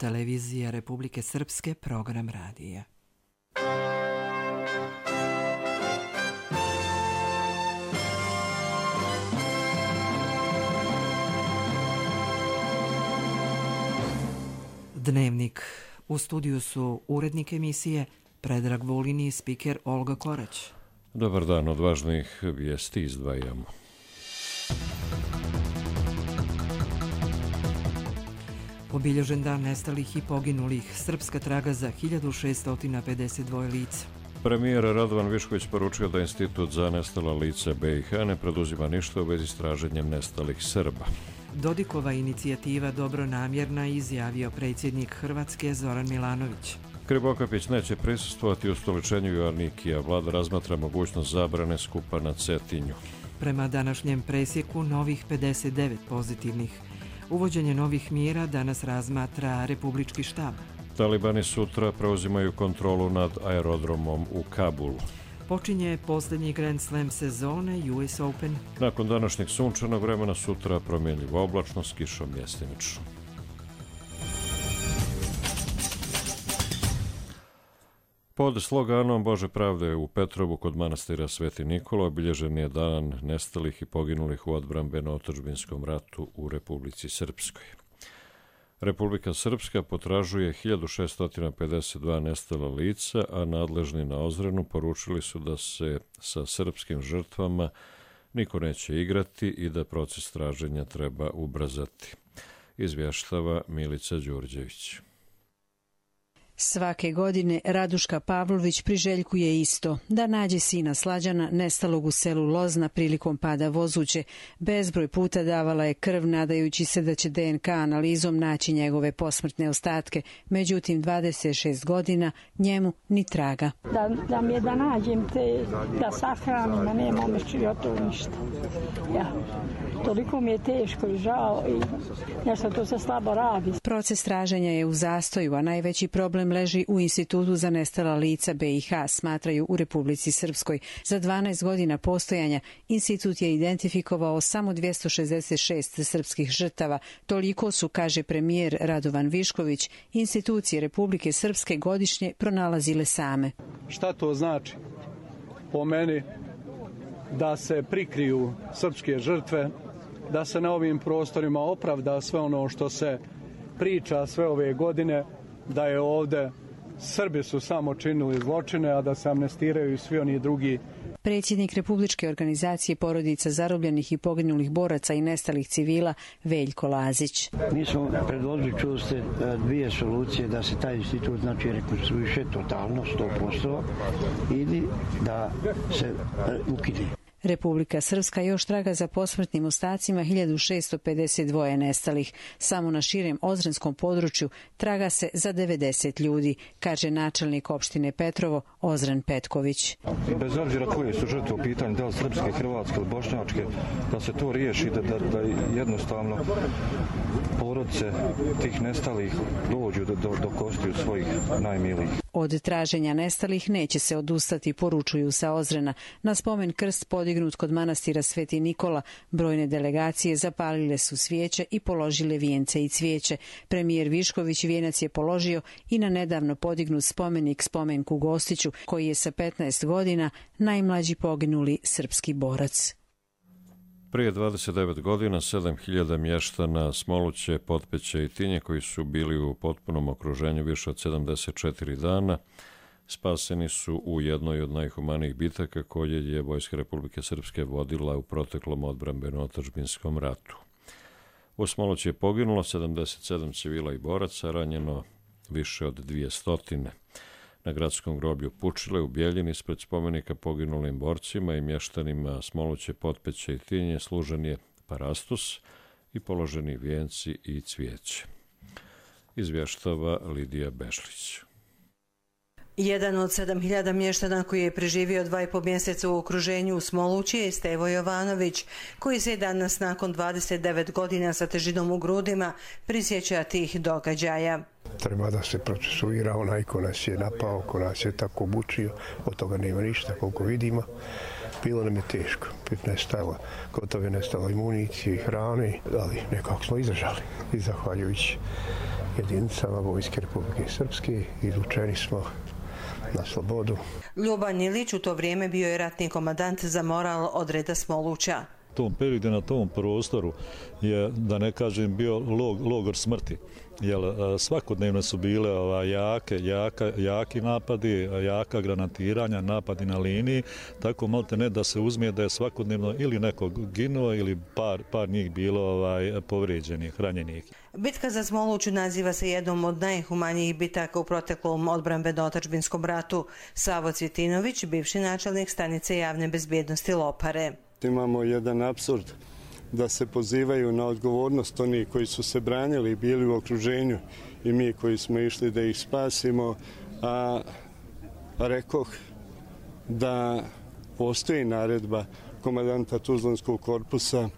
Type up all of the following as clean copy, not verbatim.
televizije Republike Srpske, program radija. Dnevnik. U studiju su urednik emisije Predrag Vulin i spiker Olga Korać. Dobar dan, od važnih vijesti izdvajamo. Obilježen dan nestalih i poginulih. Srpska traga za 1652 lica. Premijer Radovan Višković poručio da Institut za nestala lica BiH ne preduzima ništa u vezi s traženjem nestalih Srba. Dodikova inicijativa dobronamjerna, izjavio predsjednik Hrvatske Zoran Milanović. Krivokapić neće prisustvovati ustoličenju Joannikija. Vlada razmatra mogućnost zabrane skupa na Cetinju. Prema današnjem presjeku novih 59 pozitivnih. Uvođenje novih mjera danas razmatra Republički štab. Talibani sutra preuzimaju kontrolu nad aerodromom u Kabulu. Počinje posljednji Grand Slam sezone US Open. Nakon današnjeg sunčanog vremena sutra promjenljivo oblačno s kišom mjestimično. Pod sloganom Bože pravde u Petrovu kod manastira Sveti Nikola obilježen je dan nestalih i poginulih u odbrambeno-otadžbinskom ratu u Republici Srpskoj. Republika Srpska potražuje 1652 nestala lica, a nadležni na Ozrenu poručili su da se sa srpskim žrtvama niko neće igrati i da proces traženja treba ubrzati, izvještava Milica Đurđević. Svake godine Raduška Pavlović priželjkuje isto, da nađe sina Slađana nestalog u selu Lozna prilikom pada vozuće. Bezbroj puta davala je krv nadajući se da će DNK analizom naći njegove posmrtne ostatke. Međutim, 26 godina njemu ni traga. Da mi je da nađem te, da sahranim, a nema omećio to ništa. Ja. Toliko mi je teško i žao i nešto to se slabo radi. Proces traženja je u zastoju, a najveći problem leži u Institutu za nestala lica BiH, smatraju u Republici Srpskoj. Za 12 godina postojanja institut je identifikovao samo 266 srpskih žrtava. Toliko su, kaže premijer Radovan Višković, institucije Republike Srpske godišnje pronalazile same. Šta to znači? Po meni da se prikriju srpske žrtve, da se na ovim prostorima opravda sve ono što se priča sve ove godine, da je ovde Srbi su samo činili zločine, a da se amnestiraju i svi oni drugi. Predsjednik Republičke organizacije porodica zarobljenih i poginulih boraca i nestalih civila Veljko Lazić. Mi smo predložili, čuli ste, dvije solucije da se taj institut rekonstruiše totalno, 100%, ili da se ukine. Republika Srpska još traga za posmrtnim ostacima 1652 nestalih. Samo na širem ozrenskom području traga se za 90 ljudi, kaže načelnik opštine Petrovo Ozren Petković. Bez obzira koje su žrtve u pitanju, da li srpske, hrvatske ili bošnjačke, da se to riješi, da jednostavno porodice tih nestalih dođu do kostiju svojih najmilijih. Od traženja nestalih neće se odustati, poručuju sa Ozrena. Na spomen krst podignut kod manastira Sveti Nikola, brojne delegacije zapalile su svijeće i položile vijence i cvijeće. Premijer Višković vijenac je položio i na nedavno podignut spomenik spomenku Gostiću, koji je sa 15 godina najmlađi poginuli srpski borac. Prije 29 godina 7000 mještana Smoluće, Potpeće i Tinje, koji su bili u potpunom okruženju više od 74 dana, spaseni su u jednoj od najhumanijih bitaka koje je Vojska Republike Srpske vodila u proteklom odbrambeno-otadžbinskom ratu. U Smolući je poginulo 77 civila i boraca, ranjeno više od 200. Na gradskom groblju Pučile u Bjeljini ispred spomenika poginulim borcima i mještanima Smoluće, Potpeće i Tinje služen je parastus i položeni vijenci i cvijeće, izvještava Lidija Bešlić. Jedan od 7000 mještana koji je preživio 2,5 mjeseca u okruženju u Smolući je Stevo Jovanović, koji se danas nakon 29 godina sa težinom u grudima prisjeća tih događaja. Treba da se procesuira onaj ko nas je napao, ko nas je tako mučio, od toga nema ništa koliko vidimo. Bilo nam je teško, gotovo je nestalo i municije i hrane, ali nekako smo izdržali i zahvaljujući jedinicama Vojske Republike Srpske. Izvučeni smo na slobodu. Ljuban Ilić u to vrijeme bio je ratni komandant za moral odreda Smoluća. U tom periodu na tom prostoru je, da ne kažem, bio logor smrti. Jer svakodnevno su bile jaki napadi, jaka granatiranja, napadi na liniji, tako malte ne da se uzme da je svakodnevno ili nekog ginuo ili par njih bilo povrijeđenih, ranjenih. Bitka za Smoluću naziva se jednom od najhumanijih bitaka u proteklom odbrambeno-otadžbinskom ratu. Savo Cvjetinović, bivši načelnik stanice javne bezbjednosti Lopare. Imamo jedan apsurd da se pozivaju na odgovornost oni koji su se branili i bili u okruženju i mi koji smo išli da ih spasimo, a rekoh da postoji naredba komandanta Tuzlanskog korpusa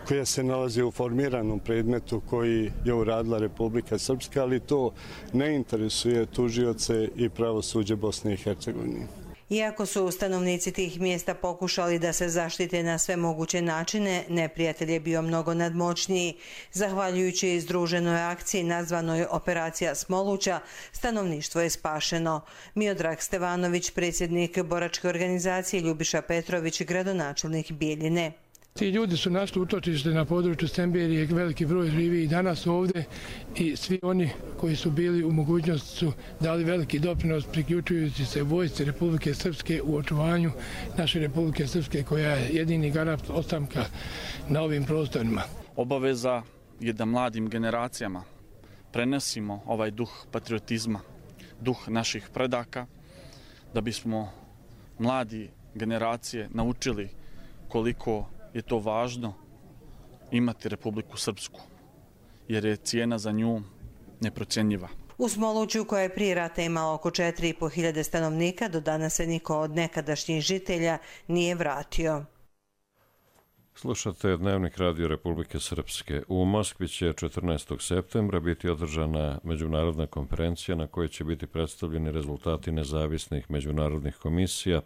koja se nalazi u formiranom predmetu koji je uradila Republika Srpska, ali to ne interesuje tužioce i pravosuđe Bosne i Hercegovine. Iako su stanovnici tih mjesta pokušali da se zaštite na sve moguće načine, neprijatelj je bio mnogo nadmoćniji. Zahvaljujući združenoj akciji nazvanoj Operacija Smoluća, stanovništvo je spašeno. Miodrag Stevanović, predsjednik boračke organizacije, Ljubiša Petrović, gradonačelnik Bijeljine. Ti ljudi su našli utočište na području Semberije, veliki broj živi i danas ovdje i svi oni koji su bili u mogućnosti su dali veliki doprinos priključujući se vojsci Republike Srpske u očuvanju naše Republike Srpske koja je jedini garant ostanka na ovim prostorima. Obaveza je da mladim generacijama prenesimo ovaj duh patriotizma, duh naših predaka, da bismo mladi generacije naučili koliko je to važno imati Republiku Srpsku, jer je cijena za nju neprocjenjiva. U Smoluću, koja je prije rata imala oko 4.500 stanovnika, do danas se niko od nekadašnjih žitelja nije vratio. Slušate Dnevnik Radio Republike Srpske. U Moskvi će 14. septembra biti održana međunarodna konferencija na kojoj će biti predstavljeni rezultati nezavisnih međunarodnih komisija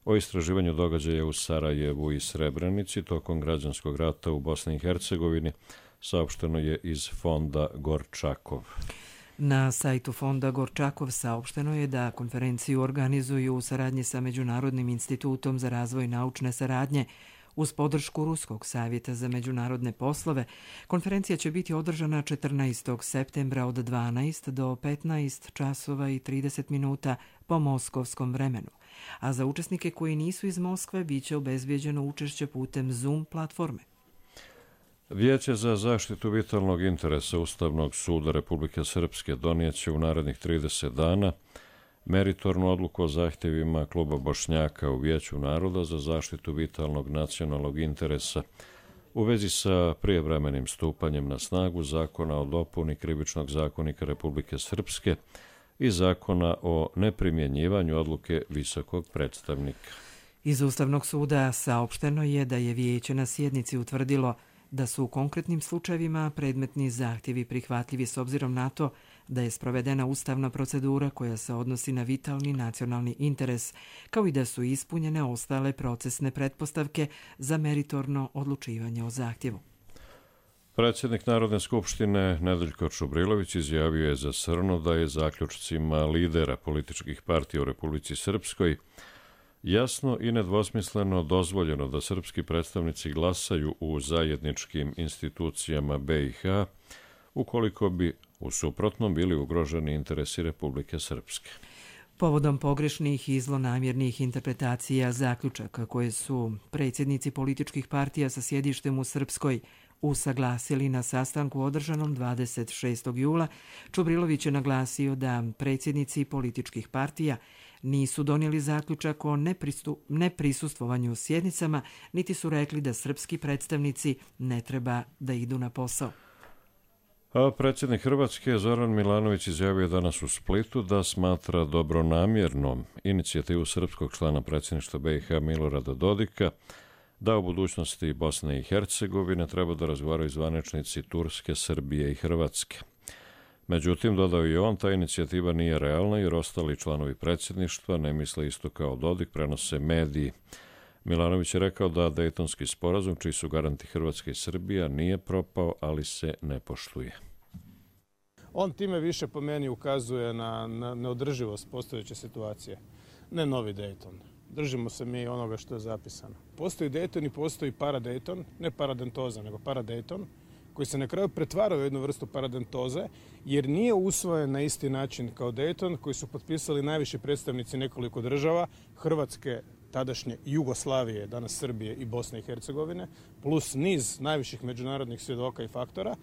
o istraživanju događaja u Sarajevu i Srebrenici tokom građanskog rata u Bosni i Hercegovini, saopšteno je iz Fonda Gorčakov. Na sajtu Fonda Gorčakov saopšteno je da konferenciju organizuju u saradnji sa Međunarodnim institutom za razvoj naučne saradnje uz podršku Ruskog savjeta za međunarodne poslove. Konferencija će biti održana 14. septembra od 12 do 15 časova i 30 minuta po moskovskom vremenu. A za učesnike koji nisu iz Moskve biće obezbijeđeno učešće putem Zoom platforme. Vijeće za zaštitu vitalnog interesa Ustavnog suda Republike Srpske donijeće u narednih 30 dana meritornu odluku o zahtjevima Kluba Bošnjaka u Vijeću naroda za zaštitu vitalnog nacionalnog interesa u vezi sa prijevremenim stupanjem na snagu Zakona o dopuni Krivičnog zakonika Republike Srpske i Zakona o neprimjenjivanju odluke visokog predstavnika. Iz Ustavnog suda saopšteno je da je vijeće na sjednici utvrdilo da su u konkretnim slučajevima predmetni zahtjevi prihvatljivi s obzirom na to da je sprovedena ustavna procedura koja se odnosi na vitalni nacionalni interes, kao i da su ispunjene ostale procesne pretpostavke za meritorno odlučivanje o zahtjevu. Predsjednik Narodne skupštine Nedeljko Čubrilović izjavio je za Srnu da je zaključcima lidera političkih partija u Republici Srpskoj jasno i nedvosmisleno dozvoljeno da srpski predstavnici glasaju u zajedničkim institucijama BiH ukoliko bi u suprotnom bili ugroženi interesi Republike Srpske. Povodom pogrešnih i zlonamjernih interpretacija zaključaka koje su predsjednici političkih partija sa sjedištem u Srpskoj usaglasili na sastanku održanom 26. jula, Čubrilović je naglasio da predsjednici političkih partija nisu donijeli zaključak o neprisustvovanju sjednicama, niti su rekli da srpski predstavnici ne treba da idu na posao. A predsjednik Hrvatske Zoran Milanović izjavio danas u Splitu da smatra dobronamjernom inicijativu srpskog člana predsjedništva BiH Milorada Dodika da u budućnosti Bosne i Hercegovine treba da razgovaraju zvaničnici Turske, Srbije i Hrvatske. Međutim, dodao je on, ta inicijativa nije realna jer ostali članovi predsjedništva ne misle isto kao Dodik, prenose mediji. Milanović je rekao da Dejtonski sporazum, čiji su garanti Hrvatska i Srbija, nije propao, ali se ne poštuje. On time više po meni ukazuje na neodrživost postojeće situacije. Ne novi Dayton. Držimo se mi onoga što je zapisano. Postoji Dayton i postoji paradayton, ne paradentoza, nego paradayton, koji se na kraju pretvara u jednu vrstu paradentoze, jer nije usvojen na isti način kao Dayton, koji su potpisali najviši predstavnici nekoliko država, Hrvatske, tadašnje Jugoslavije, danas Srbije i Bosne i Hercegovine, plus niz najviših međunarodnih svjedoka i faktora,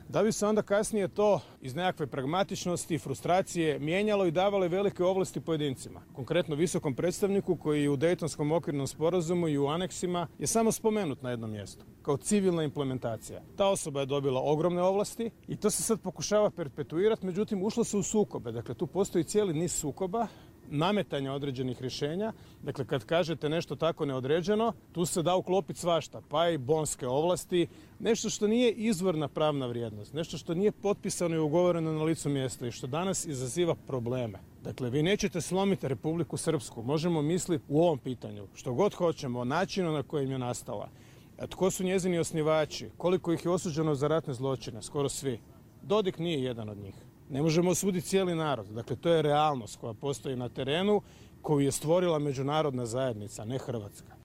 da bi se onda kasnije to iz nekakve pragmatičnosti i frustracije mijenjalo i davalo velike ovlasti pojedincima. Konkretno visokom predstavniku koji u Dejtonskom okvirnom sporazumu i u aneksima je samo spomenut na jednom mjestu, kao civilna implementacija. Ta osoba je dobila ogromne ovlasti i to se sad pokušava perpetuirati, međutim ušlo se u sukobe. Dakle, tu postoji cijeli niz sukoba, nametanja određenih rješenja. Dakle, kad kažete nešto tako neodređeno, tu se da uklopiti svašta, pa i bonske ovlasti, nešto što nije izvorna pravna vrijednost, nešto što nije potpisano i ugovoreno na licu mjesta i što danas izaziva probleme. Dakle, vi nećete slomiti Republiku Srpsku, možemo misliti u ovom pitanju što god hoćemo o načinu na kojem je nastala. Tko su njezini osnivači, koliko ih je osuđeno za ratne zločine, skoro svi. Dodik nije jedan od njih. Ne možemo osuditi cijeli narod. Dakle, to je realnost koja postoji na terenu, koju je stvorila međunarodna zajednica, ne Hrvatska.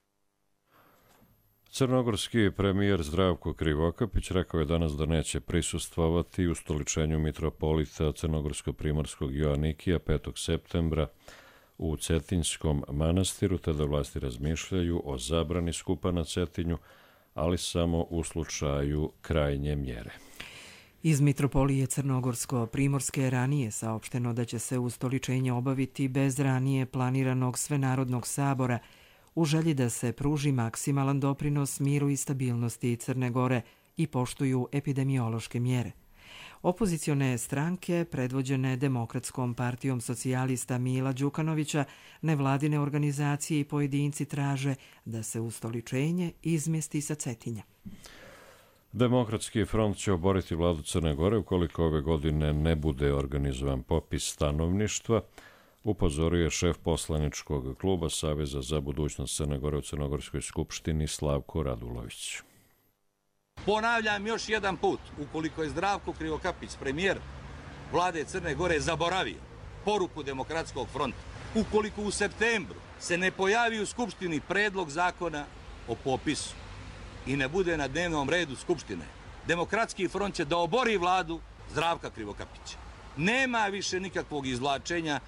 Crnogorski premijer Zdravko Krivokapić rekao je danas da neće prisustvovati ustoličenju mitropolita Crnogorsko-primorskog Joanikija 5. septembra u Cetinjskom manastiru, te da vlasti razmišljaju o zabrani skupa na Cetinju, ali samo u slučaju krajnje mjere. Iz Mitropolije Crnogorsko-primorske ranije saopšteno da će se ustoličenje obaviti bez ranije planiranog svenarodnog sabora u želji da se pruži maksimalan doprinos miru i stabilnosti Crne Gore i poštuju epidemiološke mjere. Opozicione stranke, predvođene Demokratskom partijom socijalista Mila Đukanovića, nevladine organizacije i pojedinci traže da se ustoličenje izmjesti sa Cetinja. Demokratski front će oboriti vladu Crne Gore ukoliko ove godine ne bude organizovan popis stanovništva, upozorio je šef poslaničkog kluba Saveza za budućnost Crne Gore u Crnogorskoj skupštini Slavko Radulović. Ponavljam još jedan put, ukoliko je Zdravko Krivokapić, premijer vlade Crne Gore, zaboravio poruku Demokratskog fronta, ukoliko u septembru se ne pojavi u Skupštini predlog zakona o popisu i ne bude na dnevnom redu Skupštine, Demokratski front će da obori vladu Zdravka Krivokapića. Nema više nikakvog izvlačenja,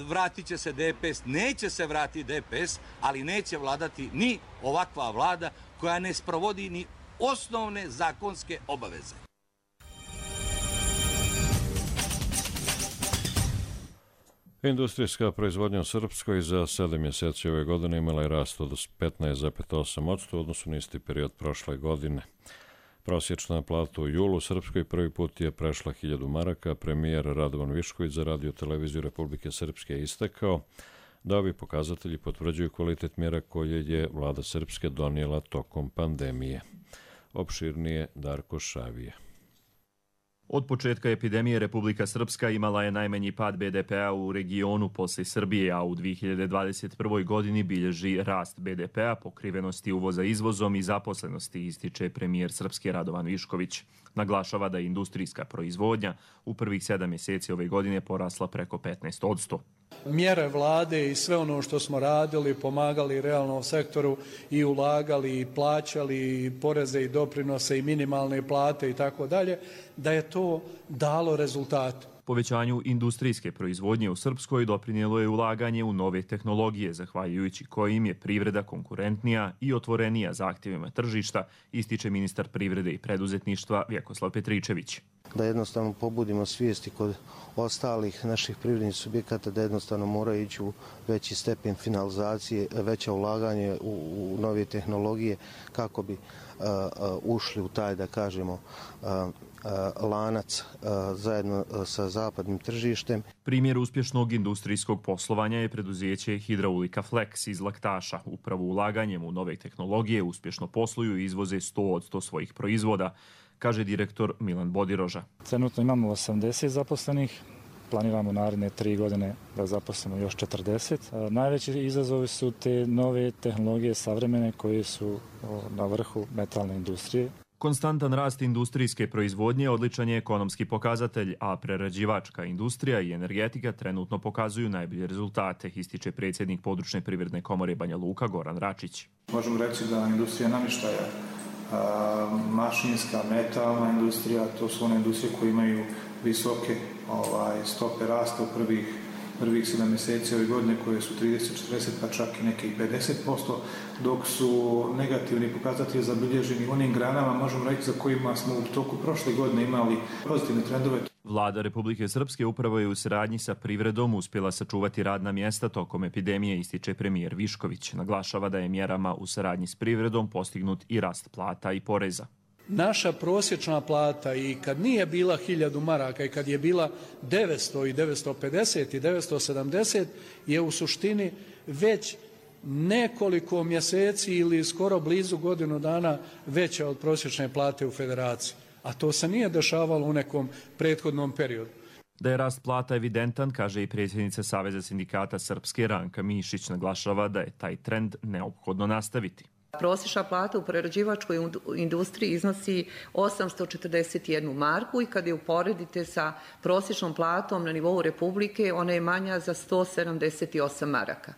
vratit će se DPS, neće se vratiti DPS, ali neće vladati ni ovakva vlada koja ne sprovodi ni osnovne zakonske obaveze. Industrijska proizvodnja u Srpskoj za 7 mjeseci ove godine imala je rast od 15,8% u odnosu na isti period prošle godine. Prosječna plata u julu u Srpskoj prvi put je prešla 1000 maraka. Premijer Radovan Višković za Radio televiziju Republike Srpske je istakao da ovi pokazatelji potvrđuju kvalitet mjera koje je vlada Srpske donijela tokom pandemije. Opširnije Darko Šavije. Od početka epidemije Republika Srpska imala je najmanji pad BDP-a u regionu poslije Srbije, a u 2021. godini bilježi rast BDP-a, pokrivenosti uvoza izvozom i zaposlenosti, ističe premijer Srpske Radovan Višković. Naglašava da je industrijska proizvodnja u prvih 7 mjeseci ove godine porasla preko 15%. Mjere vlade i sve ono što smo radili, pomagali realnom sektoru i ulagali i plaćali i poreze i doprinose i minimalne plate i tako dalje, da je to dalo rezultate. Povećanju industrijske proizvodnje u Srpskoj doprinijelo je ulaganje u nove tehnologije, zahvaljujući kojim je privreda konkurentnija i otvorenija zahtjevima tržišta, ističe ministar privrede i preduzetništva Vjekoslav Petričević. Da jednostavno pobudimo svijesti kod ostalih naših privrednih subjekata da jednostavno moraju ići u veći stepen finalizacije, veće ulaganje u nove tehnologije kako bi ušli u taj, da kažemo, lanac zajedno sa zapadnim tržištem. Primjer uspješnog industrijskog poslovanja je preduzeće Hidraulika Flex iz Laktaša. Upravo ulaganjem u nove tehnologije uspješno posluju i izvoze 100% svojih proizvoda, kaže direktor Milan Bodiroža. Trenutno imamo 80 zaposlenih, planiramo naredne 3 godine da zaposlimo još 40. Najveći izazovi su te nove tehnologije savremene koje su na vrhu metalne industrije. Konstantan rast industrijske proizvodnje odličan je ekonomski pokazatelj, a prerađivačka industrija i energetika trenutno pokazuju najbolje rezultate, ističe predsjednik Područne privredne komore Banja Luka Goran Račić. Možemo reći da industrija namještaja, mašinska, metalna industrija, to su one industrije koje imaju visoke stope rasta u prvih 7 mjeseci ove godine, koje su 30, 40, pa čak i neke i 50%, dok su negativni pokazatelji zabilježeni u onim granama, možemo reći, za kojima smo u toku prošle godine imali pozitivne trendove. Vlada Republike Srpske upravo je u saradnji sa privredom uspjela sačuvati radna mjesta tokom epidemije, ističe premijer Višković. Naglašava da je mjerama u saradnji s privredom postignut i rast plata i poreza. Naša prosječna plata i kad nije bila 1000 maraka i kad je bila 900 i 950 i 970 je u suštini već nekoliko mjeseci ili skoro blizu godinu dana veća od prosječne plate u Federaciji. A to se nije dešavalo u nekom prethodnom periodu. Da je rast plata evidentan, kaže i predsjednica Saveza sindikata Srpske Ranka Mišić, naglašava da je taj trend neophodno nastaviti. Prosječna plata u prerađivačkoj industriji iznosi 841 marku i kad je uporedite sa prosječnom platom na nivou Republike, ona je manja za 178 maraka.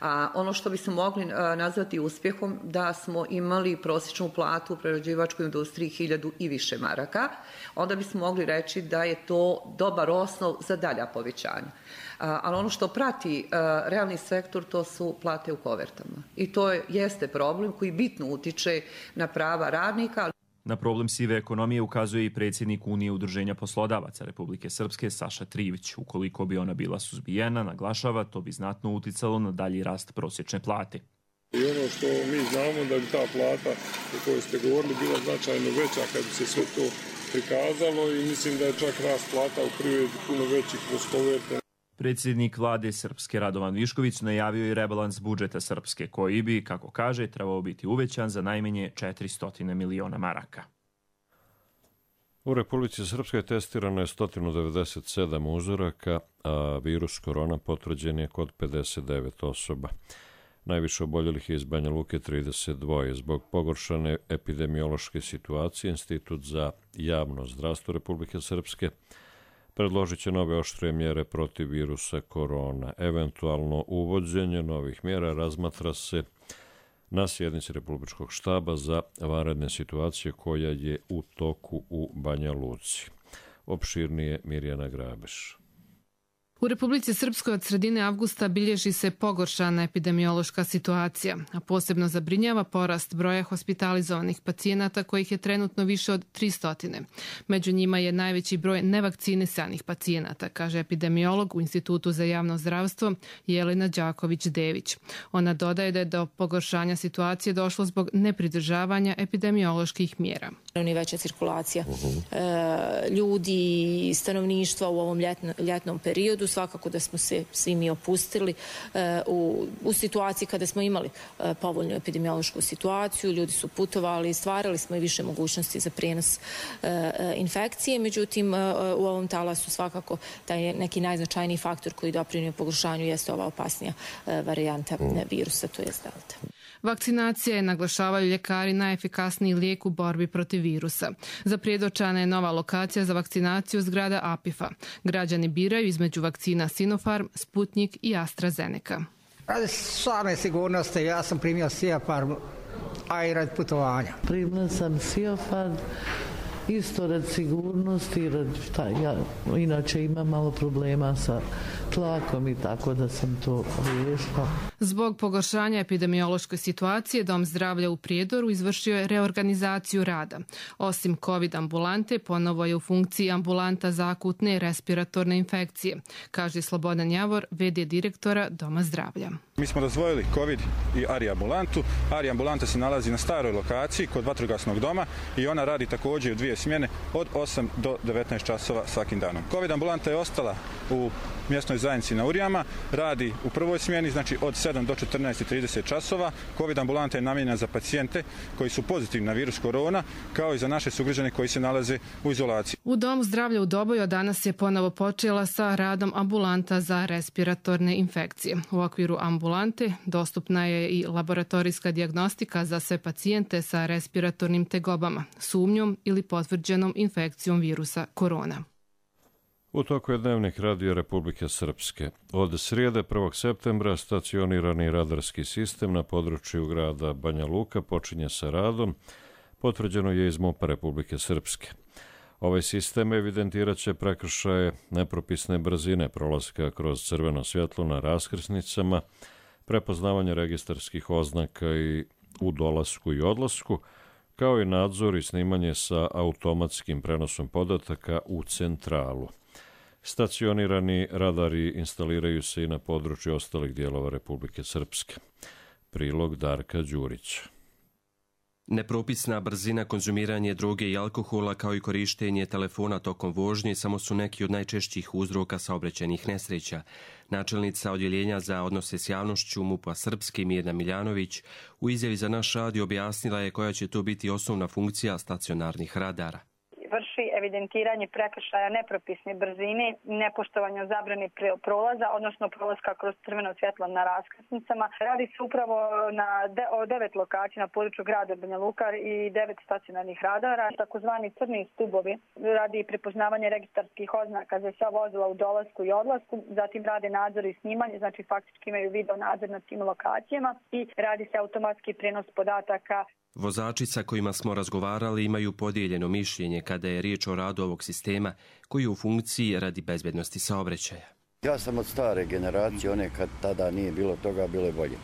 A ono što bismo mogli nazvati uspjehom da smo imali prosječnu platu u prerađivačkoj industriji 1000 i više maraka, onda bismo mogli reći da je to dobar osnov za dalja povećanja. Ali ono što prati realni sektor, to su plate u kovertama. I to jeste problem koji bitno utiče na prava radnika. Na problem sive ekonomije ukazuje i predsjednik Unije udruženja poslodavaca Republike Srpske Saša Trivić. Ukoliko bi ona bila suzbijena, naglašava, to bi znatno uticalo na dalji rast prosječne plate. I ono što mi znamo da bi ta plata o kojoj ste govorili bila značajno veća kad bi se sve to prikazalo i mislim da je čak rast plata u privredi puno veći kroz koverte. Predsjednik vlade Srpske Radovan Višković najavio i rebalans budžeta Srpske, koji bi, kako kaže, trebao biti uvećan za najmanje 400 miliona maraka. U Republici Srpskoj testirano je 197 uzoraka, a virus korona potvrđen je kod 59 osoba. Najviše oboljelih je iz Banja Luke 32. Zbog pogoršane epidemiološke situacije, Institut za javno zdravstvo Republike Srpske predložit će nove oštre mjere protiv virusa korona. Eventualno uvođenje novih mjera razmatra se na sjednici Republičkog štaba za vanredne situacije koja je u toku u Banja Luci. Opširnije Mirjana Grabeš. U Republici Srpskoj od sredine avgusta bilježi se pogoršana epidemiološka situacija, a posebno zabrinjava porast broja hospitalizovanih pacijenata kojih je trenutno više od 300. Među njima je najveći broj nevakcinisanih pacijenata, kaže epidemiolog u Institutu za javno zdravstvo Jelena Đaković-Dević. Ona dodaje da je do pogoršanja situacije došlo zbog nepridržavanja epidemioloških mjera. Veća cirkulacija ljudi i stanovništva u ovom ljetnom periodu. Svakako da smo se svi mi opustili u situaciji kada smo imali povoljnu epidemiološku situaciju. Ljudi su putovali, stvarali smo i više mogućnosti za prijenos infekcije. Međutim, u ovom talasu svakako taj neki najznačajniji faktor koji doprinio pogoršanju jeste ova opasnija varijanta virusa, to je delta. Vakcinacija je, naglašavaju ljekari, najefikasniji lijek u borbi protiv virusa. Zapredočana je nova lokacija za vakcinaciju zgrada APIF-a. Građani biraju između vakcina Sinopharm, Sputnik i AstraZeneca. Radi same sigurnosti, ja sam primio Sinopharm, a i radi putovanja. Primila sam Sinopharm, isto radi sigurnosti, ja inače imam malo problema sa tlakom i tako da sam to riješila. Zbog pogoršanja epidemiološke situacije, Dom zdravlja u Prijedoru izvršio je reorganizaciju rada. Osim COVID ambulante, ponovo je u funkciji ambulanta za akutne respiratorne infekcije, kaže Slobodan Javor, v.d. direktora Doma zdravlja. Mi smo razdvojili COVID i ARI ambulantu. ARI ambulanta se nalazi na staroj lokaciji kod vatrogasnog doma i ona radi također u 2 smjene od 8 do 19 časova svakim danom. COVID ambulanta je ostala u mjesnoj zajednici na Urijama, radi u prvoj smjeni, znači od 7 do 14:30 časova. COVID ambulanta je namijenjena za pacijente koji su pozitivni na virus korona, kao i za naše sugrađane koji se nalaze u izolaciji. U Domu zdravlja u Doboju danas je ponovo počela sa radom ambulanta za respiratorne infekcije. U okviru ambulante dostupna je i laboratorijska dijagnostika za sve pacijente sa respiratornim tegobama, sumnjom ili potvrđenom infekcijom virusa korona. U toku je dnevnik Radio Republike Srpske. Od srijede 1. septembra stacionirani radarski sistem na području grada Banja Luka počinje sa radom, potvrđeno je iz MUP-a Republike Srpske. Ovaj sistem evidentirat će prekršaje nepropisne brzine prolaska kroz crveno svjetlo na raskrsnicama, prepoznavanje registarskih oznaka i u dolasku i odlasku, kao i nadzor i snimanje sa automatskim prenosom podataka u centralu. Stacionirani radari instaliraju se i na području ostalih dijelova Republike Srpske. Prilog Darka Đurića. Nepropisna brzina, konzumiranje droge i alkohola kao i korištenje telefona tokom vožnje samo su neki od najčešćih uzroka saobraćajnih nesreća. Načelnica Odjeljenja za odnose s javnošću MUP-a Srpske Mirna Miljanović u izjavi za naš radio objasnila je koja će to biti osnovna funkcija stacionarnih radara. Vrši evidentiranje prekršaja nepropisne brzine, nepoštovanja zabrane prolaza, odnosno prolaska kroz crveno svjetlo na raskrsnicama. Radi se upravo o 9 lokacija na području grada Banja Luka i 9 stacionarnih radara. Takozvani crni stubovi radi prepoznavanje registarskih oznaka za sva vozila u dolasku i odlasku, zatim rade nadzor i snimanje, znači faktički imaju video nadzor na tim lokacijama i radi se automatski prenos podataka. Vozači sa kojima smo razgovarali imaju podijeljeno mišljenje kada je riječ o radu ovog sistema koji je u funkciji radi bezbednosti saobraćaja. Ja sam od stare generacije, one kad tada nije bilo toga, bilo je bolje.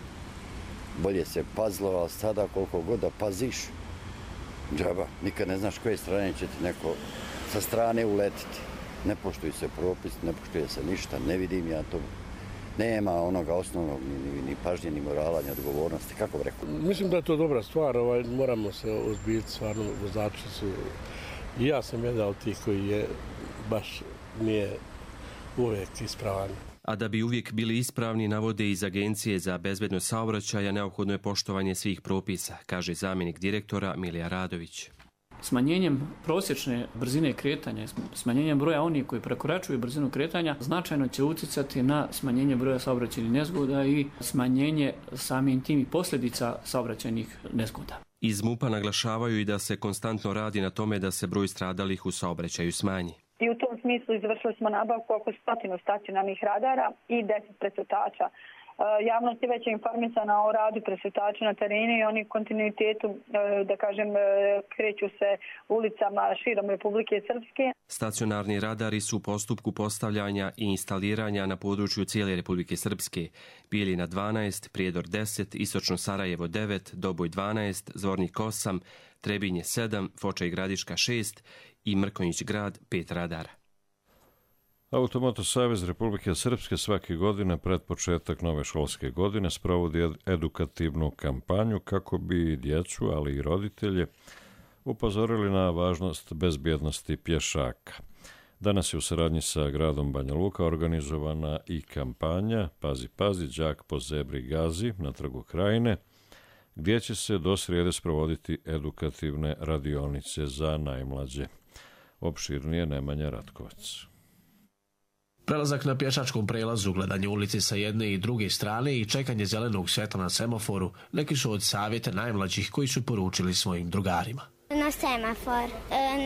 Bolje se pazilo, ali sada koliko god da paziš, džaba, nikad ne znaš koje strane će ti neko sa strane uletiti. Ne poštuje se propis, ne poštuje se ništa, ne vidim ja to. Nema onoga osnovnog ni pažnje, ni morala, ni odgovornosti. Kako bi rekao? Mislim da je to dobra stvar. Moramo se ozbiljiti, stvarno vozači su. I ja sam jedan od tih koji je baš nije uvijek ispravan. A da bi uvijek bili ispravni, navode iz Agencije za bezbednost saobraćaja, neophodno je poštovanje svih propisa, kaže zamjenik direktora Milija Radović. Smanjenjem prosječne brzine kretanja, smanjenjem broja onih koji prekoračuju brzinu kretanja, značajno će utjecati na smanjenje broja saobraćajnih nezgoda i smanjenje samim tim i posljedica saobraćajnih nezgoda. Iz MUP-a naglašavaju i da se konstantno radi na tome da se broj stradalih u saobraćaju smanji. I u tom smislu izvršili smo nabavku oko 100 stacionarnih radara i 10 presretača. Javnost je već informisana o radu presretača na terenu i oni kontinuitetu, da kažem, kreću se ulicama širom Republike Srpske. Stacionarni radari su u postupku postavljanja i instaliranja na području cijele Republike Srpske. Bijeljina 12, Prijedor 10, Istočno Sarajevo 9, Doboj 12, Zvornik 8, Trebinje 7, Foča i Gradiška 6 i Mrkonjić grad 5 radara. Automoto savez Republike Srpske svake godine pred početak nove školske godine sprovodi edukativnu kampanju kako bi djecu, ali i roditelje, upozorili na važnost bezbjednosti pješaka. Danas je u saradnji sa gradom Banja Luka organizovana i kampanja Pazi, pazi, đak po zebri gazi na Trgu Krajine, gdje će se do srijede sprovoditi edukativne radionice za najmlađe. Opširnije Nemanja Ratkovac. Prelazak na pješačkom prelazu, gledanje ulice sa jedne i druge strane i čekanje zelenog svjetla na semaforu neki su od savjeta najmlađih koji su poručili svojim drugarima. Na semafor.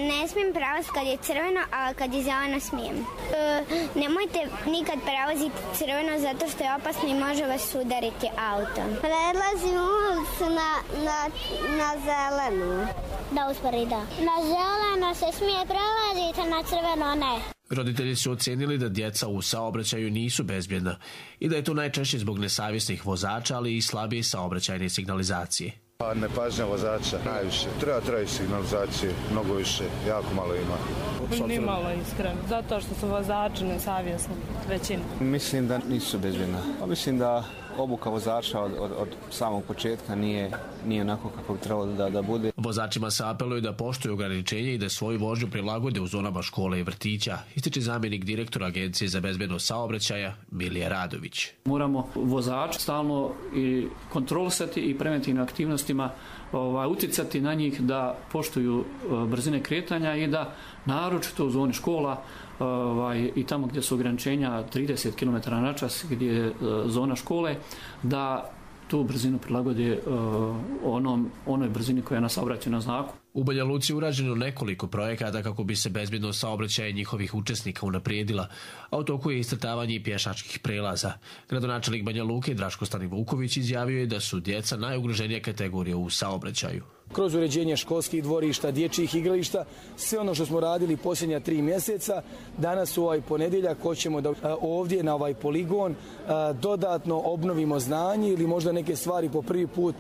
Ne smijem prelaziti kad je crveno, a kad je zeleno smijem. Nemojte nikad prelaziti crveno zato što je opasno i može vas udariti auto. Prelazim ulicu na zelenu. Da uspori, da. Na zeleno se smije prelaziti, na crveno ne. Roditelji su ocenili da djeca u saobraćaju nisu bezbjedna i da je to najčešće zbog nesavjesnih vozača, ali i slabije saobraćajne signalizacije. Nepažnja vozača najviše. Treba signalizacije, mnogo više, jako malo ima. Ni malo iskreno, zato što su vozači nesavjesni, većina. Mislim da nisu bezbjedna. Mislim da obuka vozača od samog početka nije onako kako bi trebalo da bude. Vozačima se apeluje da poštuju ograničenje i da svoju vožnju prilagode u zonama škole i vrtića, ističe zamjenik direktora Agencije za bezbednost saobraćaja Milija Radović. Moramo vozač stalno i kontrolisati i preventivnim aktivnostima uticati na njih da poštuju brzine kretanja i da naročito u zoni škola i tamo gdje su ograničenja 30 km/h gdje je zona škole, da tu brzinu prilagode onoj brzini koja je na saobraćajnom znaku. U Banja Luci urađeno nekoliko projekata kako bi se bezbednost saobraćaja njihovih učesnika unaprijedila, a u toku je iscrtavanje i pješačkih prelaza. Gradonačelnik Banja Luke Draško Stanivuković izjavio je da su djeca najugroženija kategorija u saobraćaju. Kroz uređenje školskih dvorišta, dječjih igrališta, sve ono što smo radili posljednja 3 mjeseca, danas u ovaj ponedjeljak hoćemo da ovdje na ovaj poligon dodatno obnovimo znanje ili možda neke stvari po prvi put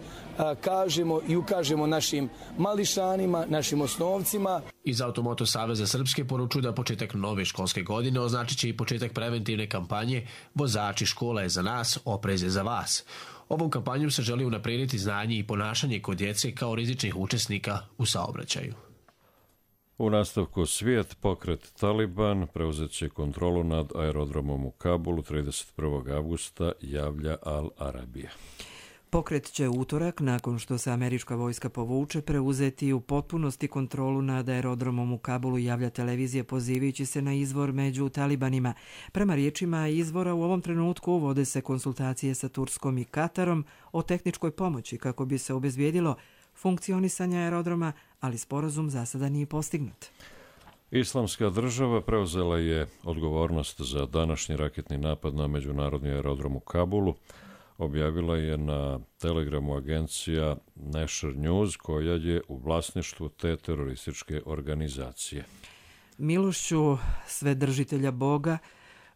kažemo i ukažemo našim mališanima, našim osnovcima. Iz Automoto Saveza Srpske poručuju da početak nove školske godine označit će i početak preventivne kampanje Vozači, škola je za nas, oprez je za vas. Ovom kampanjom se želi unaprijediti znanje i ponašanje kod djece kao rizičnih učesnika u saobraćaju. U nastavku svijet, pokret Taliban preuzet će kontrolu nad aerodromom u Kabulu 31. avgusta, javlja Al Arabija. Pokret će utorak, nakon što se američka vojska povuče, preuzeti u potpunosti kontrolu nad aerodromom u Kabulu, javlja televizija pozivajući se na izvor među talibanima. Prema riječima izvora, u ovom trenutku vode se konsultacije sa Turskom i Katarom o tehničkoj pomoći kako bi se obezbijedilo funkcionisanje aerodroma, ali sporazum za sada nije postignut. Islamska država preuzela je odgovornost za današnji raketni napad na međunarodni aerodrom u Kabulu. Objavila je na Telegramu agencija Nasher News, koja je u vlasništvu te terorističke organizacije. Milošću Svedržitelja Boga,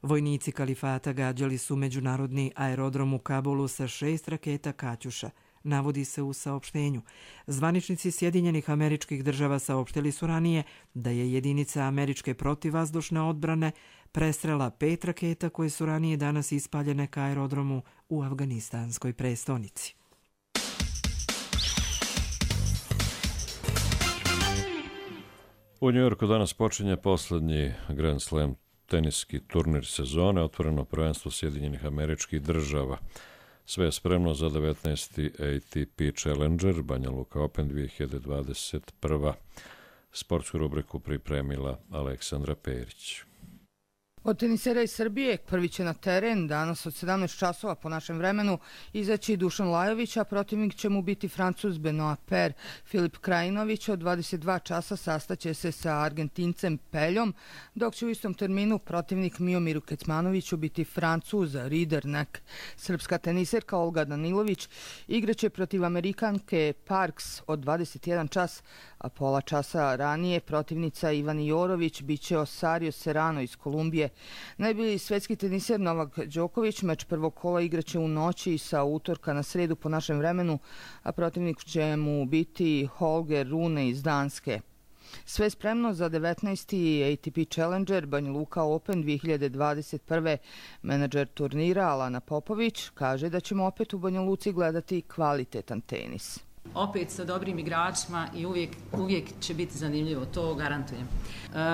vojnici kalifata gađali su međunarodni aerodrom u Kabulu sa 6 raketa Kaćuša, navodi se u saopštenju. Zvaničnici Sjedinjenih Američkih Država saopštili su ranije da je jedinica američke protivvazdušne odbrane prestrela 5 raketa koje su ranije danas ispaljene ka aerodromu u afganistanskoj prestonici. U Njujorku danas počinje posljednji Grand Slam teniski turnir sezone, otvoreno prvenstvo Sjedinjenih Američkih Država. Sve je spremno za 19. ATP Challenger Banja Luka Open 2021. Sportsku rubriku pripremila Aleksandra Perić. Od tenisera iz Srbije prvi će na teren danas od 17 časova po našem vremenu izaći Dušan Lajović, a protivnik će mu biti Francuz Benoit Paire. Filip Krajinović od 22 časa sastaće se sa Argentincem Peljom, dok će u istom terminu protivnik Miomiru Kecmanoviću biti Francuz Ridderneck. Srpska teniserka Olga Danilović igraće protiv Amerikanke Parks od 21 čas, a pola časa ranije protivnica Ivan Jorović biće Osario Serrano iz Kolumbije. Najbolji svetski teniser Novak Đoković meč prvog kola igraće u noći sa utorka na sredu po našem vremenu, a protivnik će mu biti Holger Rune iz Danske. Sve spremno za 19. ATP Challenger Banja Luka Open 2021. Menadžer turnira Alana Popović kaže da ćemo opet u Banja Luci gledati kvalitetan tenis. Opet sa dobrim igračima i uvijek će biti zanimljivo, to garantujem.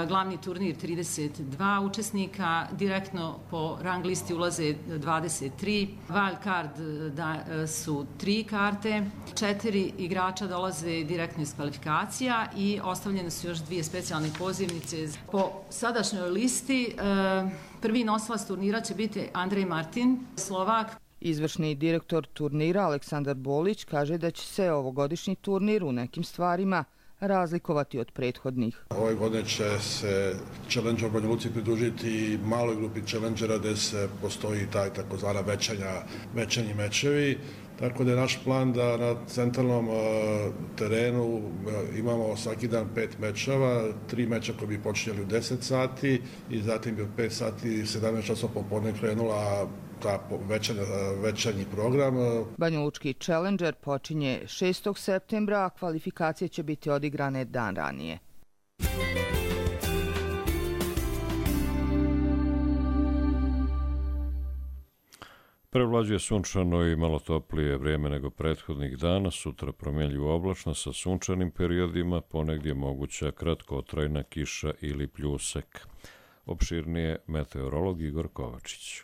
Glavni turnir 32 učesnika, direktno po rang listi ulaze 23, wild card su 3 karte, 4 igrača dolaze direktno iz kvalifikacija i ostavljene su još 2 specijalne pozivnice. Po sadašnjoj listi prvi nosilac turnira će biti Andrej Martin, Slovak. Izvršni direktor turnira Aleksandar Bolić kaže da će se ovogodišnji turnir u nekim stvarima razlikovati od prethodnih. Ove godine će se Challenger Banja Luci pridružiti maloj grupi Challengera gdje se postoji taj takozvana večernji mečevi. Tako da je naš plan da na centralnom terenu imamo svaki dan 5 mečeva, 3 meča koji bi počinjeli u 10 sati i zatim bi od 5 sati 17 časova popodne krenula ta večernji program. Banjalučki Challenger počinje 6. septembra, a kvalifikacije će biti odigrane dan ranije. Prevlađuje sunčano i malo toplije vrijeme nego prethodnih dana, sutra promjenljivo oblačno sa sunčanim periodima, ponegdje moguća kratkotrajna kiša ili pljusak. Opširnije meteorolog Igor Kovačić.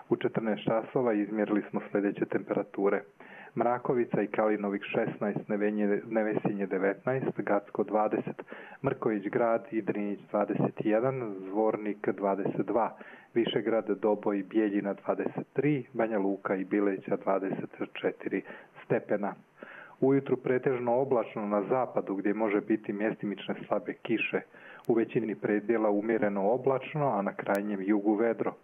U 14 časova izmjerili smo sljedeće temperature. Mrakovica i Kalinovik 16, Nevesinje 19, Gacko 20, Mrković grad i Drinić 21, Zvornik 22, Višegrad, Doboj i Bijeljina 23, Banja Luka i Bileća 24 stepena. Ujutru pretežno oblačno na zapadu gdje može biti mjestimične slabe kiše. U većini predjela umjereno oblačno, a na krajnjem jugu vedro.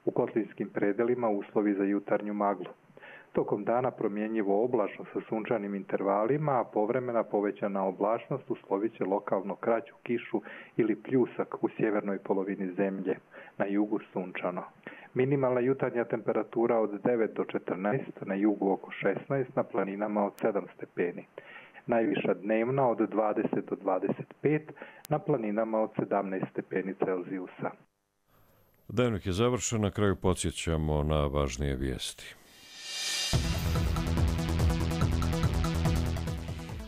U kotlinskim predelima uslovi za jutarnju maglu. Tokom dana promjenjivo oblačno sa sunčanim intervalima, a povremena povećana oblačnost uslovit će lokalno kraću kišu ili pljusak u sjevernoj polovini zemlje, na jugu sunčano. Minimalna jutarnja temperatura od 9 do 14, na jugu oko 16, na planinama od 7 stepeni. Najviša dnevna od 20 do 25, na planinama od 17 stepeni Celzijusa. Dnevnik je završen, na kraju podsjećamo na važnije vijesti.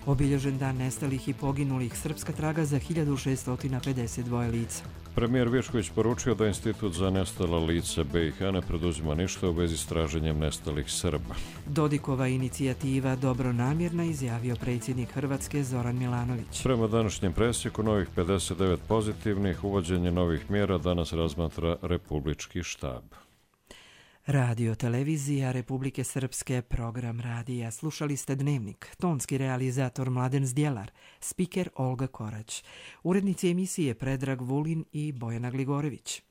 Obilježen dan nestalih i poginulih, srpska traga za 1652 lica. Premijer Višković poručio da Institut za nestala lica BiH ne preduzima ništa u vezi s traženjem nestalih Srba. Dodikova inicijativa dobronamjerna, izjavio predsjednik Hrvatske Zoran Milanović. Prema današnjem presjeku novih 59 pozitivnih, uvođenje novih mjera danas razmatra Republički štab. Radio televizija Republike Srpske, program radija. Slušali ste Dnevnik, tonski realizator Mladen Zdjelar, spiker Olga Korać, urednici emisije Predrag Vulin i Bojana Gligorević.